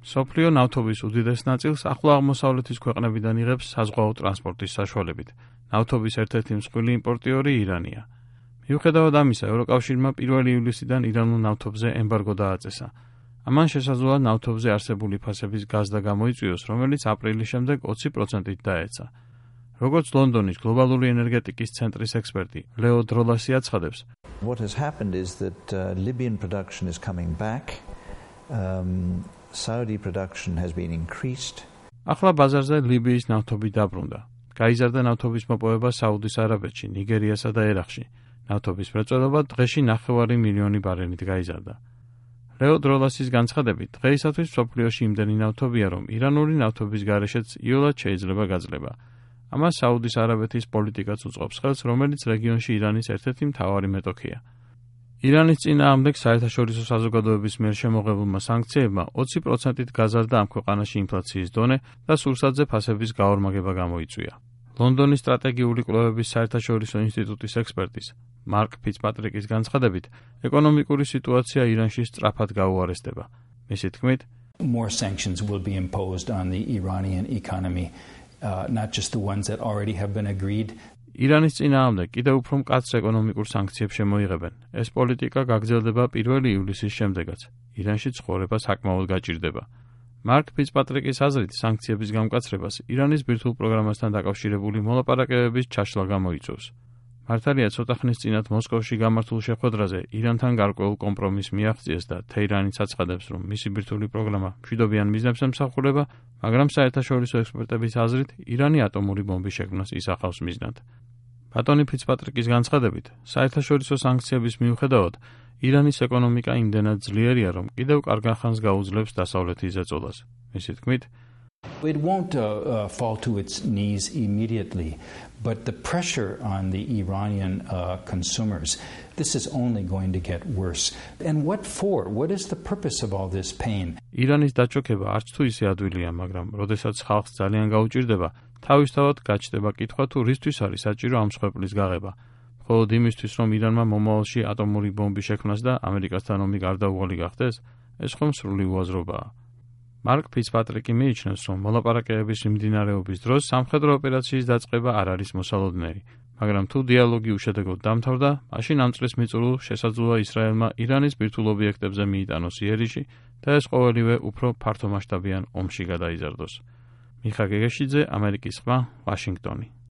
სოფლიო ნავთობის უდიდეს ნაწილს ახლო აღმოსავლეთის ქვეყნებიდან იღებს საზღვაო ტრანსპორტის საშუალებით. ნავთობის ერთ-ერთი მსხვილი იმპორტიორი ირანია. მიუხედავად ამისა, ევროკავშირმა 1 ივლისიდან ირანულ ნავთობზე ემბარგო დააწესა. ამან შესაძლოა ნავთობზე არსებული ფასების გაზდა გამოიწვიოს, რომელიც აპრილის შემდეგ 20%-ით დაეცა. როგორც ლონდონის გლობალური ენერგეტიკის ცენტრის ექსპერტი ლეო დროლასი აცხადებს, What has happened is that Libyan production is coming back. Saudi production has been increased. ახლა ბაზარზე ლიბიის ნავთობი დაბრუნდა. გაიზარდა ნავთობის მოპოვება საუდის არაბეთში, ნიგერიასა და ერაყში. ნავთობის მრეწველობა დღეში 9 მილიონი ბარელით გაიზარდა. ლეო დროლასის განცხადებით, დღეისათვის მსოფლიოში იმდენი ნავთობია, რომ ირანული ნავთობის გარეშეც იოლად შეიძლება გაძლება. ამას საუდის არაბეთის პოლიტიკაც უწყობს ხელს, რომელიც რეგიონში ირანის ერთ-ერთი მთავარი მეტოქია. ირანის წინააღმდეგ საერთაშორისო საზოგადოების მიერ შემოღებულმა სანქციებმა 20%-ით გაზარდა ამ ქვეყანაში ინფლაციის დონე და სურსათზე ფასების გაორმაგება გამოიწვია. ლონდონის სტრატეგიული კვლევების საერთაშორისო ინსტიტუტის ექსპერტის მარკ ფიცპატრიკის განცხადებით, ეკონომიკური სიტუაცია ირანში სწრაფად გაუარესდება. მისი თქმით, More sanctions will be imposed on the Iranian economy, not just the ones that already have been agreed. ირანის წინააღმდეგ კიდევ უფრო მკაცრ ეკონომიკურ სანქციებს შემოიღებენ. ეს პოლიტიკა გაგრძელდება 1 ივლისის შემდეგაც. ირანში ცხოვრება საკმაოდ გაჭირდება. მარკ ფიცპატრიკის აზრით, სანქციების გამკაცრებას ირანის ბირთვულ პროგრამასთან დაკავშირებული მოლაპარაკებების ჩაშლა გამოიწვევს. მართალია, ცოტა ხნის წინათ მოსკოვში გამართულ შეხვედრაზე ირანთან გარკვეულ კომპრომისს მიაღწიეს და თეირანიც აცხადებს, რომ მისი ბირთვული პროგრამა მშვიდობიან მიზნებს ემსახურება, მაგრამ საერთაშორისო ექსპერტების აზრით, ირანი ატომური ბომბის შექმნას ისახავს მიზნად. ბატონი ფიცპატრიკის განცხადებით, საერთაშორისო სანქციების მიუხედავად, ირანის ეკონომიკა იმდენად ძლიერია, რომ კიდევ კარგ ხანს გაუძლებს დასავლეთის ზეწოლას. მისი თქმით, It won't fall to its knees immediately, but the pressure on the Iranian consumers, this is only going to get worse. And what for? What is the purpose of all this pain? ირანის დაჭოქება არც თუ ისე ადვილია, მაგრამ როდესაც ხალხს ძალიან გაუჭირდება, თავისთავად გაჩნდება კითხვა თუ რისთვის არის საჭირო ამ მსხვერპლის გაღება. მხოლოდ იმისთვის, რომ ირანმა მომავალში ატომური ბომბის შექმნას და ამერიკასთან ომი გარდაუვალი გახდეს, ეს ხომ სრული უაზრობაა. მარკ ფიცპატრიკი მიიჩნევს, რომ მოლაპარაკებების მიმდინარეობის დროს სამხედრო ოპერაციის დაწყება არ არის მოსალოდნელი, მაგრამ თუ დიალოგი უშედეგოდ დამთავრდა, მაშინ ამ წლის მიწურულს შესაძლოა ისრაელმა ირანის ბირთვულ ობიექტებზე მიიტანოს იერიში და ეს ყოველივე უფრო ფართომასშტაბიან ომში გადაიზარდოს. მიხა გეგეშიძე, ამერიკის ხმა, ვაშინგტონი.